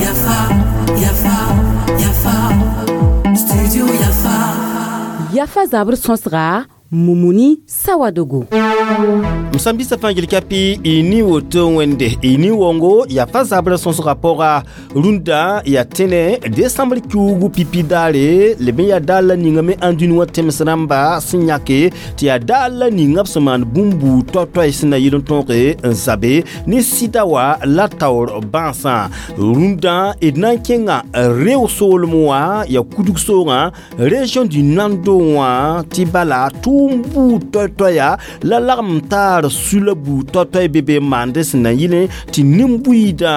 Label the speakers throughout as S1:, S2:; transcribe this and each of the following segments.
S1: Yafa, Yafa, Yafa, Studio Yafa.
S2: Yafa zabr sõsga Mumuni Sawadogo.
S3: M sãn-biisã fãa gil kapi y ni woto wẽnde y ni wongo yaa fa zabrã sõsgã pʋga rũndã yaa tẽne desãmbr kiuugu pipi daare leb n yaa daar la ninga me ãndũni wã tẽms rãmba sẽn yãke tɩ yaa daar la ninga b sẽn maan bũmb buud toay-toay sẽn na yɩl n tõoge n zabe ne sɩda wã la taoor bãasã rũndã d na n kẽnga reo soolem wã yaa kudg soogã région du Nando wã tɩ bala tʋʋm buud toay-toaya la lagm taar sula buud toay-toay be be n maande sẽn na yɩlẽ tɩ nin-buiidã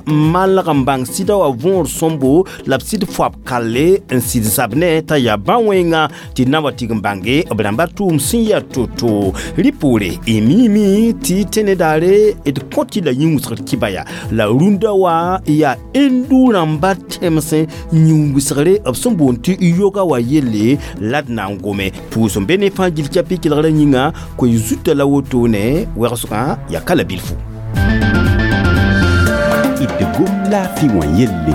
S3: n malg n bãng sɩda wã võor sõmbo la b sɩd foab kalle n sɩd zab ne t'a yaa bã-wẽnga tɩ d na wa tɩg n bãnge b rãmba tʋʋm sẽn yaa to-to rɩ poore y miime tɩ tẽne daare d kõt-y la yĩn-wɩsgr kɩba ya la rũndã wã yaa indu rãmba tẽmsẽ yĩn-wɩsgre b sẽn boond tɩ yoga wã yelle la d na n gome pʋʋs n be ne fãa gil kɛpɩ kelgrã yĩnga koe zuta la wotone wɛgsgã yaa ka la bilfu.
S4: D gom laafɩ wã yelle.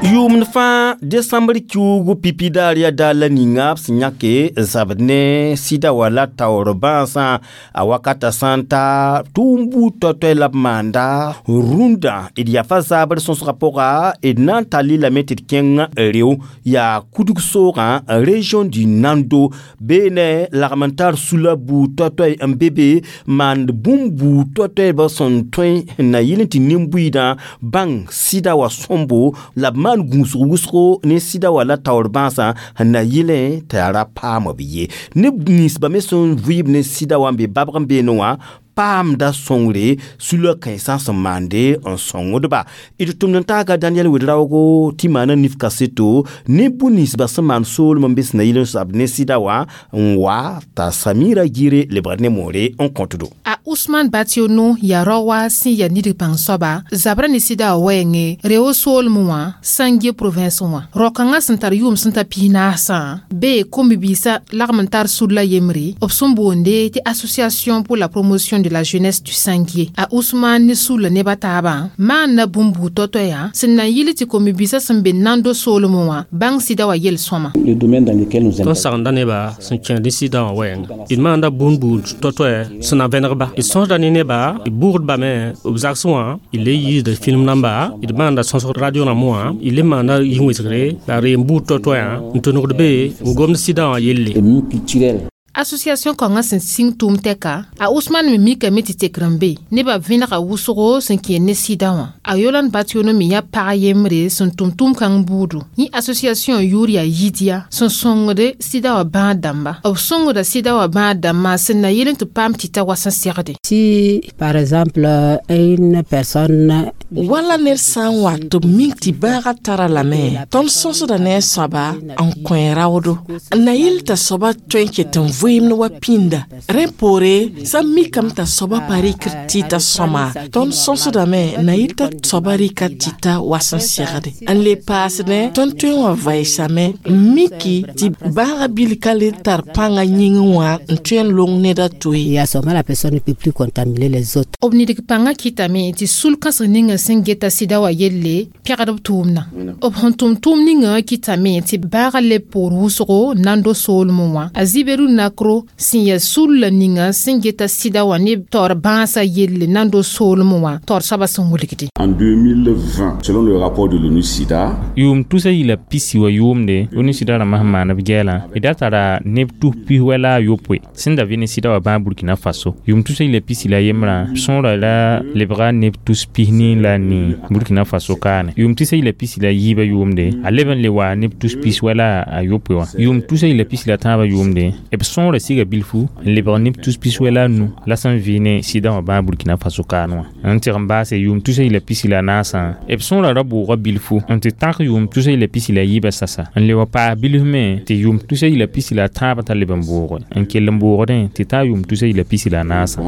S3: Yʋʋmd fãa desãmbr kiuugu pipi daar yaa daar la ninga b sẽn yãke zabd ne sɩda wã la taoor bãasã a wakata sã n ta tʋʋm buud toay-toay la b maanda rũndã d yaa fa zaabr sõsgã pʋga d na n tall lame tɩ d kẽng reo yaa kudg soogã région du Nando beene lagm n tar sula buud toay-toay n be be maand bũmb buud toay-toay ba sẽn tõe n na yɩl n tɩ nin-buiidã bãng sɩda wã sõmbo la b maan gũusg wʋsgo ne sɩda wã la taoor bãasã sẽn na yɩlẽ t'a yaa ra paam b ye neb ninsba me sẽn vɩɩb ne sɩda wã n be babg n beene wã paamda sõngre sula kãensã sẽn maande n sõngdba d tʋmd n taaga Daniel Wedraogo tɩ maana nif kaseto ne bũ-ninsba sẽn maan soolem n be sẽn na yɩl n zab ne sɩda wã n wa t'a Samira Gire lebgd ne moore n kõtdo.
S5: A Usman Bationo yaa rao wa sẽn yaa nidg pãng soaba zabra ne sɩda wã wɛɛngẽ reo soolem wã Sange province wã rao-kãngã sẽn tar yʋʋm sẽn ta 40sã bee kom-bibiisã lagm n tar sud la yembre b sẽn boonde tɩ Association pour la promotion de la jeunesse du Sanguier. A Ousmane ne sula neba taabã maanda bũmb buud toa-toaya sẽn na n yɩl tɩ kom-bibiisã sẽn be Nando soolem wã bãng sɩda wã yel-sõma.
S6: Le domaine dans lequel nous
S7: Tõnd sagenda nebã sẽn kẽed ne sɩdã wã wɛɛnga d maanda bũmb buud toa-toɛ sẽn na vẽnegba d sõsda ne nebã d bʋgdba me b zagsẽ wã d le yiisda film namba d maanda sõsg radio rãmb wã d le maanda yĩn-wɩsgre la reem buud toa-toɛã n tʋnegd be n gomd sɩdã wã yelle.
S6: Culturel.
S5: Association kãngã sẽn sĩng tʋʋm tɛka a Usman me mikame tɩ tekr n be nebã vẽnega wʋsgo sẽn kẽer ne sɩda wã a Yolan Bationo me yaa pag yembre sẽn tʋm tʋʋm-kãng buudu yẽ association yʋʋr yaa Yidia sẽn sõngde sɩda wã bãad dãmba b sõngda sɩda wã bãad dãmbã sẽn na yɩl n tɩ paam tɩ ta wa sẽn segde.
S8: Si, par exemple, une personne
S9: Wala ned sã n wa tɩ b mik tɩ bãagã tara lame tõnd sõsda ne a soaba n kõ raoodo n na yɩl t'a soaba tõe n ket n vɩɩmd wa pĩnda rẽ poore sã n mikame t'a soaba pa rɩkd tɩɩta sõma tõnd sõsdame n na yɩl t'a soaba rɩka tɩta wa sẽn segde n le paasdẽ tõnd tõe n wa vɛɛsame n miki tɩ bãagã bil ka le tar pãngã yĩngẽ wã n tõe n long ned a to ye.
S8: Et à ce moment, la personne ne peut plus contaminer les autres.
S5: B nidg pãngã kɩtame tɩ sul-kãseng ninga sẽn geta sɩda wã yelle pɛgd b tʋʋmdã b sẽn tʋm tʋʋm ninga kɩtame tɩ baaga leb poor wʋsgo Nando soolem wã a Ziberu Nakro sẽn yaa sul la ninga sẽn geta sɩda wã ne taoor bãasã yelle Nando soolem wã taoor soabã sẽn wilgde.
S10: En 2020, selon le rapport de l'ONU SIDA,
S11: yʋʋm tusa yila pisi wa yʋʋmde ONU sɩda rãmbã sẽn maan b gɛɛlã d da tara neb tus pis wɛ la a yopoe sẽn da vɩ ne sɩda wã bãa Burkina Faso yʋʋm tusa yila pisi la yembrã sõora la lebga neb tus pis nii la nii Burkina Faso kaane yʋʋm tusa yila pisi la yiibã yʋʋmde a leb n le wa neb tus pis wɛ la a yopoe wã yʋʋm tusa yila pisi la tãabã yʋʋmde b sõora siga bilfu n lebg neb tus pis wɛ la a nu la sẽn vɩ ne sɩda wã bãa Burkina Faso kaan wã n tɩg n baase yʋʋm tusa yila pisi la naasã b sõora ra bʋʋga bilfu n tɩ tãk yʋʋm tusa yila pisi la yiibã sasa n le wa paas bilf me tɩ yʋʋm tusa yila pisi la tãabã t'a leb n bʋʋge n kell n bʋʋgdẽ tɩ taa yʋʋm tusa yila pisi la naasã.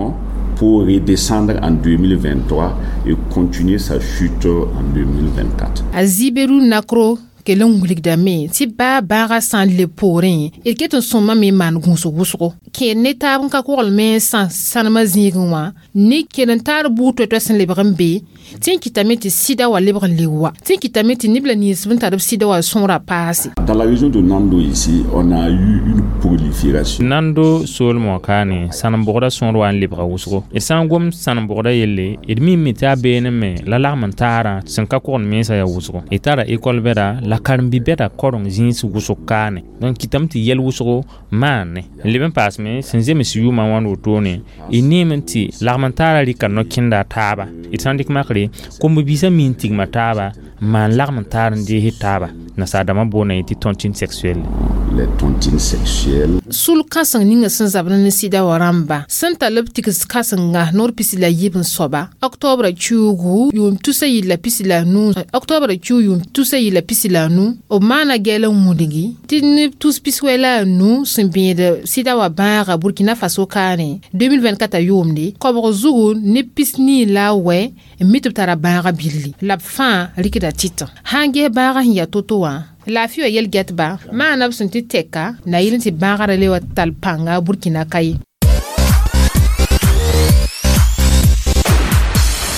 S10: Pour redescendre en 2023 et continuer sa chute en 2024.
S5: A Ziberu Nakro Kell n wilgdame tɩ baa bãagã sã n leb poorẽ d ket n sõmame n maan gũusg wʋsgo kẽer ne taab n ka koglme n sã sãnemã zĩigẽ wã ne kell n taar buud toɛ-toɛ sẽn lebg n be tɩ n kɩtame tɩ sɩda wa lebg n le wa tɩ n kɩtame tɩ neb la nins b n tar b sɩda wa sõora paase.
S10: Dans la région de Nando ici, on a eu une prolifération.
S11: Nando soolmẽ wã kaane sãnem-bʋgda sõor wa n lebga wʋsgo d sã n gom sãnem-bʋgda yelle d mime tɩ a beene me la lagm n taarã sẽn ka kogend mensã yaa wʋsgo d tara ekɔl bɛda la karen-bi-bɛda koreng zĩis wʋsg kaane donc kɩtame tɩ yɛl wʋsgo maane n leb n paasme sẽn zems yʋʋmã wãnd wotone d neeme tɩ lagm n taarã rɩka no-kẽnda a taaba d sã n dɩk makre kom-biisã mi n tigma taaba n maan lagm n taar n dees taaba nasaar-dãmbã boonda tɩ tontine sexuelle.
S10: Les tontines sexuelles.
S5: Sul kãseng ninga sẽn zabd ne sɩda wã rãmba sẽn tall b tigs kãsenga noor pisi la yiib n soaba octobre kiuugu yʋʋm tusa yɩl la pisi la nu octobre kiu yʋʋm tusa yɩl la pisi la nu b maana gɛɛl n wĩdgi tɩ neb tus piswɛ la a nu sẽn bẽed sɩda wã bãaga Burkina Faso kaane 2024 a yʋʋmde koabg zugu neb pis nii la a wɛ n mi tɩ b tara bãaga billi la b fãa rɩkda tɩtã sã n ges bãagã sẽn yaa to-to wã laafɩ wã yel-gɛtba maana b sẽn tɩ tɛka na yɩl n tɩ bãagrã le wa tall pãnga Burkina ka ye.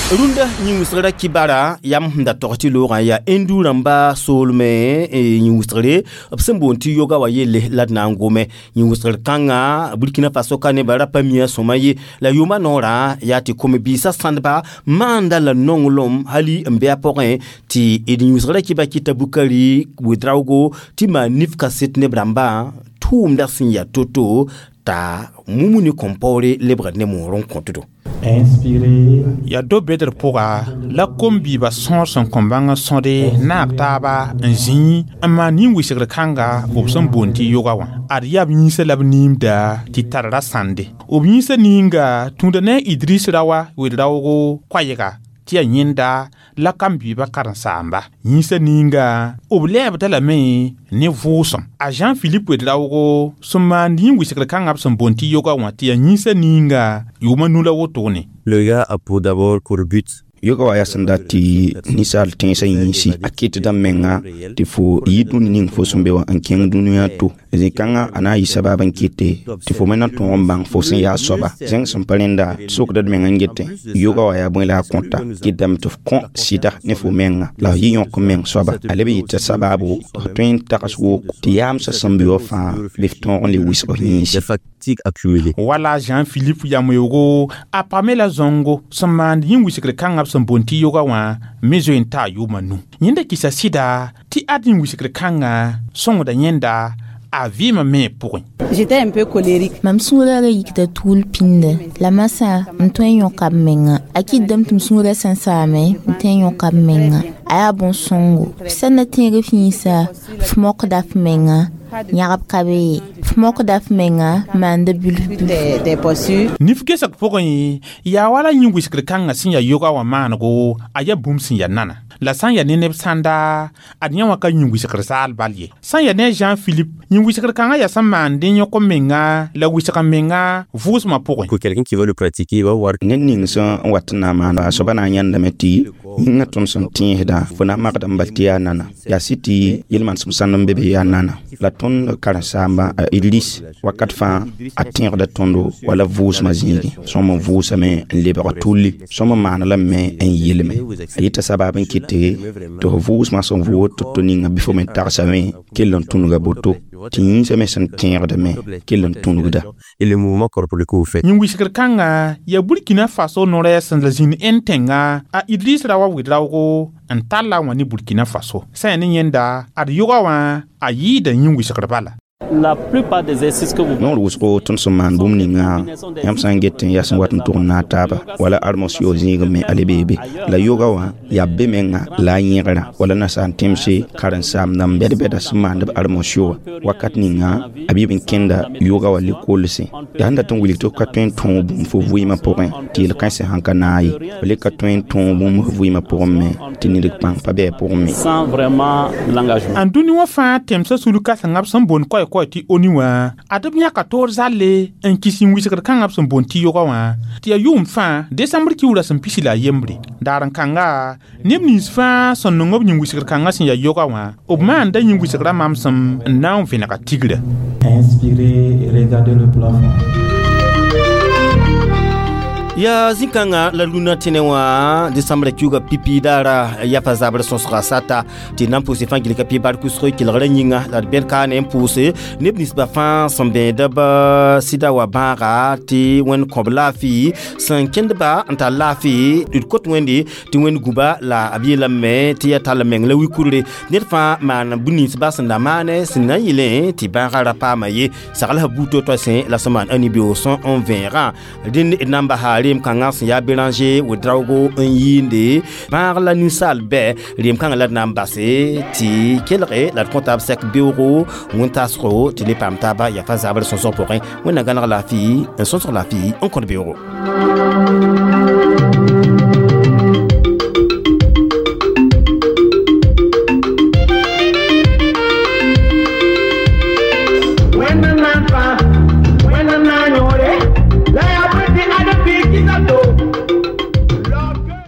S3: Rũndã yĩn-wɩsgrã kibara yam sẽn da tog tɩ loogã yaa indu rãmba soolmẽ yĩn-wɩsgre b sẽn boond tɩ yoga wã yelle la d na n gome yĩn-wɩsgr kãngã Burkina Faso ka nebã ra pa mia sõma ye la yʋʋmã noorã yaa tɩ kom-biisã sãndba maanda la nonglem hali n bɩ a pʋgẽ tɩ d yĩn-wɩsgrã kɩba kɩta Bukari Ouedraogo tɩ maan nif kaset neb rãmbã tʋʋmda sẽn yaa to-to t'a mumuni kõn-paoore lebgd ne moor n kõtdo.
S12: Yaa do-bedr pʋga la kom-biibã sõor sẽn kõ bãng n sõde naag taaba n zĩi n maan nin-wɩsgr kãnga b sẽn boond tɩ yoga wã ad yaa b yĩnsã la b niimda tɩ tar ra sãnde b yĩnsã ninga tũuda ne a Idris Rawa wed-raoogo koɛɛga tɩ yaa yẽnda la kam-biibã karen-saamba yĩnsã ninga b lɛɛbda lame ne vʋʋsem a Jean-Philippe Ouedraogo sẽn maand yĩn-wɩsgr kãngã b sẽn boond tɩ yoga wã tɩ yaa yĩnsã ninga yʋʋmã nu la wotone.
S13: Le yoga a pour d'abord pour but
S14: yoga wa yaa sẽn dat tɩ ninsaal tẽensã yĩnsi a kɩtda menga tɩ fo yi dũni ning fo sẽn be wã n kẽng dũniyã to zĩ-kãngã a na n yɩ sabaab n kɩte tɩ fo me na tõog n bãng fo sẽn yaa soaba zẽng sẽn pa rẽnda sokda d meng n getẽ yoga wa yaa bõe la a kõta kɩtdame tɩ f kõ sɩda ne fo menga la f yɩ yõk n meng soaba a leb n yɩta sabaabo tɩ f tõe n tags woko tɩ yaamsã sẽn be wã fãa bɩ f tõog n le wɩsg f yĩnsi.
S12: Wala Jean-Philippe Yamoyogo a pame la zõngo sẽn maand yĩn-wɩsgr kãngã b sẽn boond tɩ yoga wã me zoe n taa yʋʋmã nu yẽnda kɩsa sɩda tɩ ad yĩn-wɩsgr kãngã sõngda yẽnda a vɩɩmã me pʋgẽ.
S15: J'étais un peu colérique.
S16: Mam sũurã ra yikda tuul pĩnda la masã m tõe n yõka b menga a kɩtdame tɩ m sũurã sẽn saame m tõe n yõka b menga a yaa bõn-sõngo f sã n na tẽeg f yĩnsa f mokda f menga yãgb ka be ye f mokda f menga maanda bilf bilf.
S12: Nif gesg pʋgẽ yaa wala yĩn-wɩsgr kãngã sẽn yaa yoga wã maanego a yaa bũmb sẽn yaa nana la sã n yaa ne neb sãnda ad yã wã ka yĩn-wɩsgr zaal bal ye sã n yaa ne Jean-Philippe yĩn-wɩsgr kãngã yaa sẽn maand n yõk menga la wɩsg menga vʋʋsmã pʋgẽ.
S13: Pour quelqu'un qui veut le pratiquer, il va voir.
S14: Ned ning sẽn wat n na n maana a soaba na n yãndame tɩ yĩngã tõnd sẽn tẽesdã fo na n magda n bal tɩ yaa nana yaa sɩ tɩ yel-manesem sãnd n be be yaa nana la tõnd karen-saamba a Idris wakat fãa a tẽegda tõndo wala vʋʋsmã zĩigẽ sõm n vʋʋsame n lebg tulli sõm n maana lame n yelme a yɩta sabaab n kɩte tɩ f vʋʋsmã sẽn vʋʋd tɩ to ninga bɩ fo me tagsame kell n tũnuga boto tɩ yĩnsã me sẽn tẽegdame kell n tũnugda.
S13: Et le mouvement corporel que vous faites.
S12: Yĩn-wɩsgr kãngã yaa Burkina Faso no-rɛɛs sẽn la zĩnd Ẽnd tẽnga a Idris Rawa Ouedraogo n tall-a wã ne Burkina Faso sã yaa ne yẽnda ad yoga wã a yɩɩda yĩn-wɩsgr bala.
S6: La plupart des exercices que vous
S14: Noor wʋsgo tõnd sẽn maan bũmb ninga yãmb sã n get n yaa sẽn wat n tʋg n naag taaba wala armosio zĩigẽ me ale beebe la yoga wã yaa be menga la a yẽgra wala nasaar tẽmse karen-saamdã n bɛd-bɛda sẽn maand b armosio wã wakat ninga a bɩ b n kẽnda yoga wã lekoolsẽ yaa sẽn dat n wilg tɩ f ka tõe n tõog bũmb fo vɩɩmã pʋgẽ tɩ yel-kãensã sãn ka naag ye f le ka tõe n tõog bũmb f vɩɩmã pʋgẽ me tɩ nidg pãng pa bɩ a pʋgẽ me.
S6: Sans vraiment l'engagement.
S12: N dũni wã fãa tẽmsã sul kãsengã b sẽn boond koɛɛ Koɛɛ-koɛɛ tɩ ONU wã ad b yãka toor zalle n kis yĩn-wɩsgr kãngã b sẽn boond tɩ yoga wã tɩ yaa yʋʋm fãa desãmbr kiuurã sẽn pisi la a yembre. Daar n kãnga neb nins fãa sẽn nong b yĩn-wɩsgr kãngã sẽn yaa yoga wã b maanda yĩn-wɩsgrã mamsem n na n vẽnega tigrã.
S15: Inspirez et regardez le plafond.
S3: Ya zĩ-kãngã la rũnã tẽne wã desãmbrã kiuugã pipi daara yafa zabr sõsga sata tɩ na n pʋʋse fãa gilga pɩ bark wʋsg kelgrã yĩnga la d bẽd kaane n pʋʋse neb ninsbã fãa sẽn bẽedb sɩda wa bãaga tɩ wẽnd kõb laafɩ sẽn kẽndba n tar laafɩ d kot wẽnde tɩ wẽnd gũba la b yeelame tɩ yaa tall meng la wi-kurre ned fãa maan bũn-ninsba sẽn na maane sẽn na n yɩlẽ tɩ bãagã ra paama ye sagl sã buud to-toa sẽ la sẽn maan ãni-beoog sõ n vẽegã rẽnd d na n basa reem kãngã sẽn yaa Béranger Ouédraogo n yɩɩnde bãag la ninsaal bɛ reem kãngã la d na n base tɩ kelge la d kõ taab sɛk beoogo wẽn-taasgo tɩ le paam taaba yafa zabr sõsg pʋgẽ. Wẽnna gãneg laafɩ n sõsg laafɩ n kõt beoogo.